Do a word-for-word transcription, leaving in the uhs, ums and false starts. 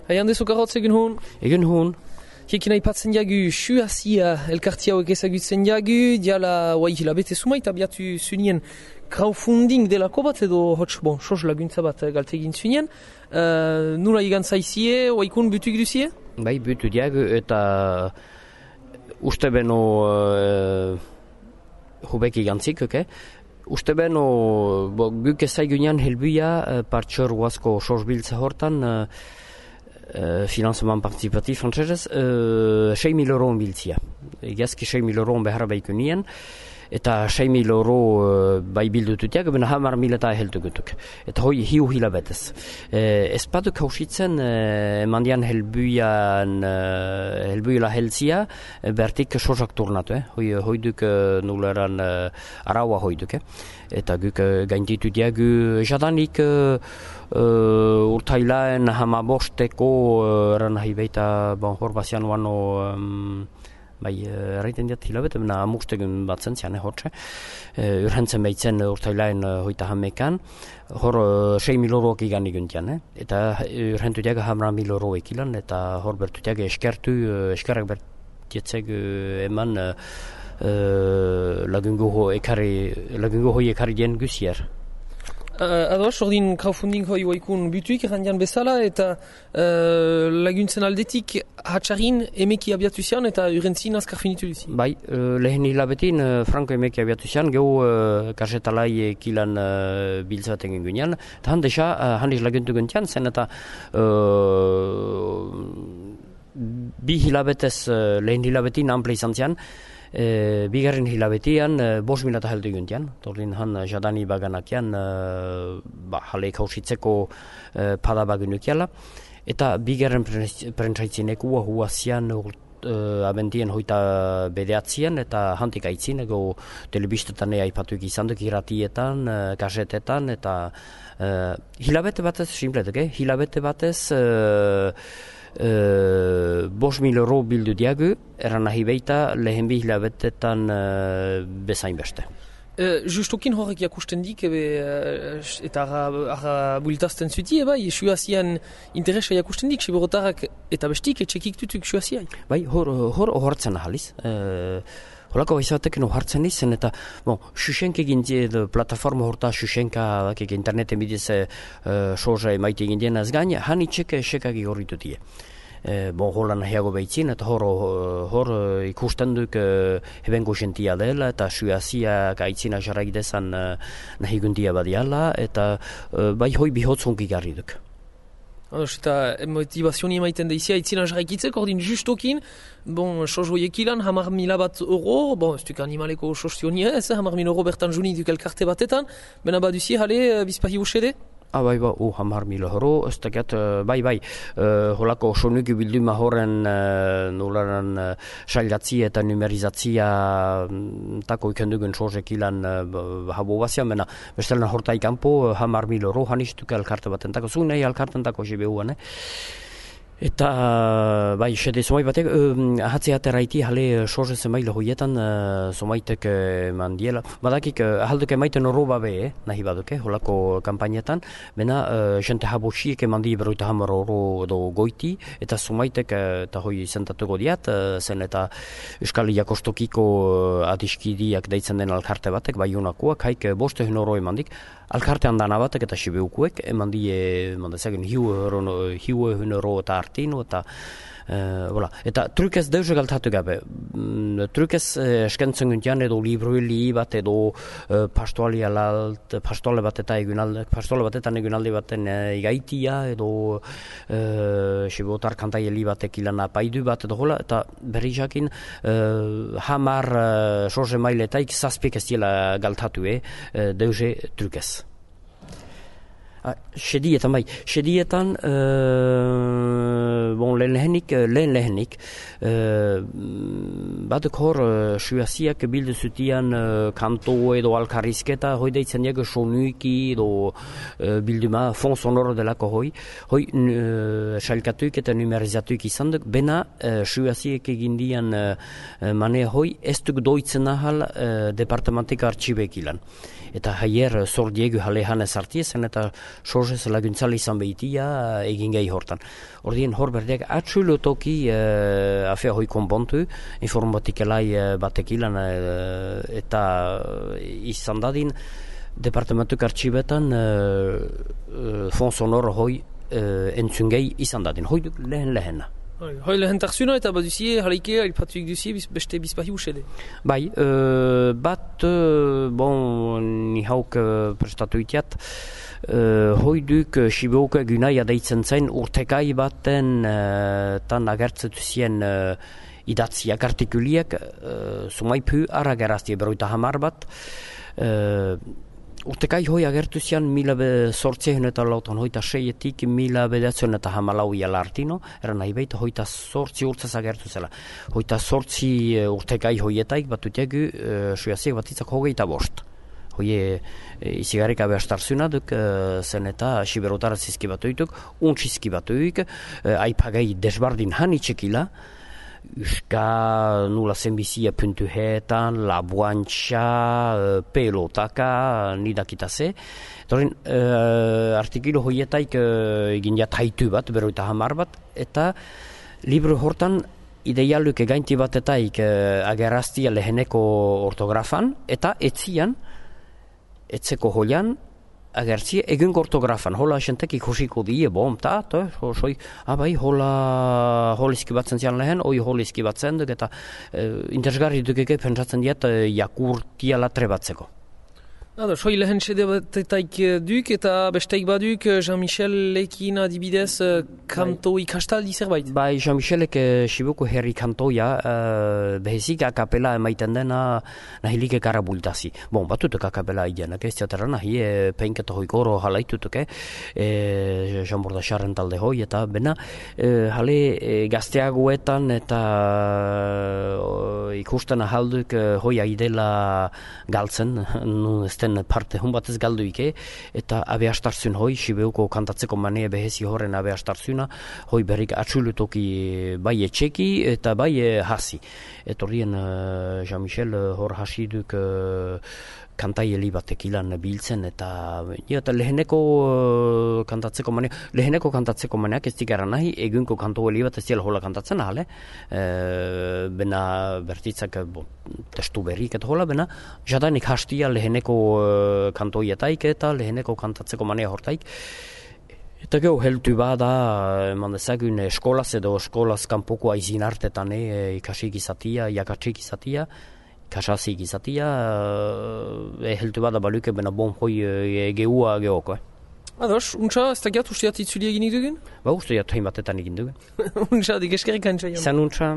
Haian dezu karotz egun hon? Egun hon. Hiekin aipatzen jagu, suazia elkarti hauek ezagutzen jagu, diala oai hilabete sumait abiatu zunien crowdfunding delako bat edo hots, bon, sos laguntza bat galtegin zunien. Uh, nula igan zaizie, oaikun butuk duzie? Bai, butu diagu eta uste beno uh, hubek igantzik, okay? Uste beno, bo, guk ezaigunean helbuia uh, partxor guazko sos biltza hortan, uh, Uh, financement participatif frantzesez, uh, sei mil euro biltzia. Egiazki sei mil euro behar baikunien, eta sei mil euro uh, bai bildututiak, bena hamar mil eta heltugutuk. Eta hoi hiu hilabetez. Uh, ez baduk hausitzen, uh, emandian helbuian, uh, helbuila heltzia, uh, bertik sosak turnatu, eh? Hoi, hoi duk uh, nuleran uh, araua hoi duk, eh? Eta guk uh, gainditu diagu jadanik uh, uh, urtailaen hamabosteko uh, eran nahi baita bon, hor bazian uano um, bai, erraiten diat hilabete, bena amustegun bat zentzian, eh, hortxe. Uh, urhentzen baitzen urtailaen uh, hoita hamekan, hor uh, sei mil euroak igan iguntian, eh? Eta urhentu diaga hamra mil euro ekilan, eta hor bertu diaga eskertu, uh, eskerrak bertietzeg uh, eman uh, Uh, lagungo ho ekari lagungo hoi ekari dien gusier. Uh, ados, ordin crowdfunding hoi oaikun butuik errandian bezala eta uh, laguntzen aldetik hatxarin emeki abiatu zian eta urentzin azkar finitu duzi. Bai, uh, lehen hilabetin uh, franko emeki abiatu zian, gehu uh, karsetalai kilan uh, biltzaten gengunean, eta handesa, uh, handiz laguntu guntian, zen eta uh, bi hilabetez, uh, lehen hilabetin ample izan zian, E, bigarren hilabetian, e, bos milata heldu guntian. Torlin han jadani baganakian, e, ba, jale kausitzeko e, pada bagunukiala. Eta bigarren prentsaitzineko huazian uh, abentien hoita bedeatzien, eta hantik aitzin, ego telebistetan aipatuik izan duk iratietan, uh, kasetetan, eta uh, hilabete batez, simpletek, eh? Hilabete batez, uh, Uh, bos mil euro bildu diagu, eran nahi beita lehen bi hilabetetan uh, bezain beste. Uh, justokin horrek jakusten dik, ebe, uh, eta arra bultazten zuti, eba, suazian interesa jakusten dik, siberotarrak eta bestik etxekik tutuk suaziai. Bai, hor, hor ohartzen ahaliz. Uh, Holako baizatek no hartzen izen, eta bon, Xuxenk egin die, plataforma horta Xuxenka, interneten bidez uh, soza emaite egin dien ez gain, han itxek esekak igorritu die. Uh, bon, holan nahiago behitzin, eta hor, hor uh, ikusten duk uh, hebengo jentia dela, eta suaziak aitzina jarraidezan uh, nahi gundia badiala, eta uh, bai hoi bihotzunki garri duk. Ados, eta motivazioni emaiten daizia, itzina jarraikitzek, ordin justokin, bon, sos hoiekilan, hamar mila bat euro, bon, ez duk animaleko sostionia ez, hamar mil euro bertan juni duk elkarte batetan, bena baduzi, hale, bizpahi usede? Ah, bai, bai, oh, hamar mil euro, ez dakat, uh, bai, bai, uh, holako sonuki bilduma horren uh, nolaran uh, sailatzi eta numerizatzia um, tako ikendugun sosekilan uh, habo bazian, bena, bestelan hortai kanpo, uh, hamar mil euro, hanistuk elkarte baten tako, zu nahi elkarten tako jibehuan, eh? Eta, bai, sede somai batek, uh, ahatze ateraiti jale soze zemaile hoietan uh, somaitek uh, mandiela. Badakik, uh, ahalduk emaiten oroba be, eh, nahi baduke, holako kampainetan, bena, uh, jente habosiek emandi beroita hamar oro edo goiti, eta somaitek, uh, eta hoi zentatuko diat, uh, zen eta Euskal Jakostokiko uh, adiskidiak deitzen den alkarte batek, bai unakoak, haik uh, boste hun oro emandik, alkartean dana batek eta sibeukuek, emandi, emandezagen, hiu hun oro eta artinu, eta Uh, voilà. Eta trukez deuze galtatu gabe. Mm, trukez uh, eskentzen guntian edo libruili bat edo uh, pastoali alalt, pastoale bat eta egunalde, pastoale batetan egunalde baten uh, igaitia edo uh, sibotar kantaieli batek ilana paidu bat edo hola, eta berri jakin uh, hamar uh, soze mailetaik zazpik ez diela galtatu, eh, uh, deuze trukez. Ah, sedietan, bai. Sedietan, uh, bon, lehen lehenik, lehen lehenik, uh, batek hor, uh, suaziak bildu zutian uh, kanto edo alkarrizketa, hoi deitzen diago sonuiki edo uh, bilduma, fon sonoro delako hoi, hoi uh, sailkatuik eta numerizatuik izan duk, bena uh, suaziek egindian uh, mane hoi, ez duk doitzen ahal uh, departamentik artxibek ilan. Eta haier zor diegu jalehan ez artiezen eta sorzez laguntzale izan behitia egin gehi hortan. Ordien hor berdeak atxulo toki uh, afea hoi konpontu, informatikelai uh, batek ilan uh, eta izan dadin departamentuk artxibetan uh, uh, fon sonoro hoi uh, entzungei izan dadin. Hoi duk lehen lehena. Hoi lehen tarzuna eta baduzie jalaike aipatuik duzie beste bizpahi usede. Bai, uh, bat, uh, bon, ni hauk uh, prestatu itiat, uh, hoi duk uh, Sibeuk egunaia deitzen zain urtekai baten uh, tan agertzetu zien uh, idatziak artikuliak, uh, sumaipu arageraztie beroita hamar bat, uh, urtekai hoi agertu zian mila sortzehen eta lautan hoita seietik mila bedatzen eta hamalau ialartino, eran nahi behit hoita sortzi urtzaz agertu zela. Hoita sortzi urtekai hoietaik batutiagu uh, suaziek batitzak hogeita bost. Hoie e, izigarrik abeastarzuna duk e, zen eta siberotara zizkibatuituk, untxizkibatuik, e, aipagai desbardin hanitxekila, Euska nula zenbizia puntu hetan, labuantxa, pelotaka, nidakita ze. Torin, uh, artikilo hoietaik uh, egin jat haitu bat, beroita hamar bat, eta libro hortan ideialuk egainti batetaik uh, ageraztia leheneko ortografan, eta etzian, etzeko hoian, agertzie egun ortografan, hola esentek ikusiko die, bom, ta, ta, soi, abai, hola holizki batzen zian lehen, oi holizki batzen duk, eta e, interesgarri dukeke pentsatzen diat e, jakurtia latre batzeko. Nada, soi lehen sede batetaik duk, eta besteik baduk Jean-Michel lekin adibidez kanto ikastaldi zerbait? Bai, Jean-Michelek Sibuko herri kantoia, uh, behezik akapela emaiten dena nahilik ekara bultazi. Bon, batutuk akapela idenak, ez teatera nahi, e, peinketa hoikoro halaitutuk, e, Jean Bordasaren talde hoi, eta bena, e, hale e, gazteagoetan eta e, ikusten ahalduk e, hoi aidela galtzen, nu ez parte hun batez galduike, eta abeastarzun hoi, Sibeuko kantatzeko manea behezi horren abeastarzuna, hoi berrik atxulutoki bai etxeki eta bai hasi. Etorrien uh, Jean-Michel hor hasiduk uh, kantaieli batek ilan biltzen, eta, ja, eta leheneko uh, kantatzeko manea, leheneko kantatzeko maneak ez dikara nahi, egunko kantoeli bat ez dira hola kantatzen ahale, e, bena bertitzak bo, testu berrik eta hola, bena jadanik hastia leheneko uh, kantoietaik eta leheneko kantatzeko manea hortaik. Eta geho, heltu bada, eman dezagun, eskolaz edo eskolaz kanpoko aizin hartetan e, ikasik izatia, jakatsik izatia, kasasik izatia, e, heltu bada baluke, bena bon hoi e, geua geoko. Eh. Ados, untsa, ez da giat usteat itzuli egin dugun? Ba, usteat hain batetan egin dugun. Untsa, dik eskerrik antxa. Zan untsa.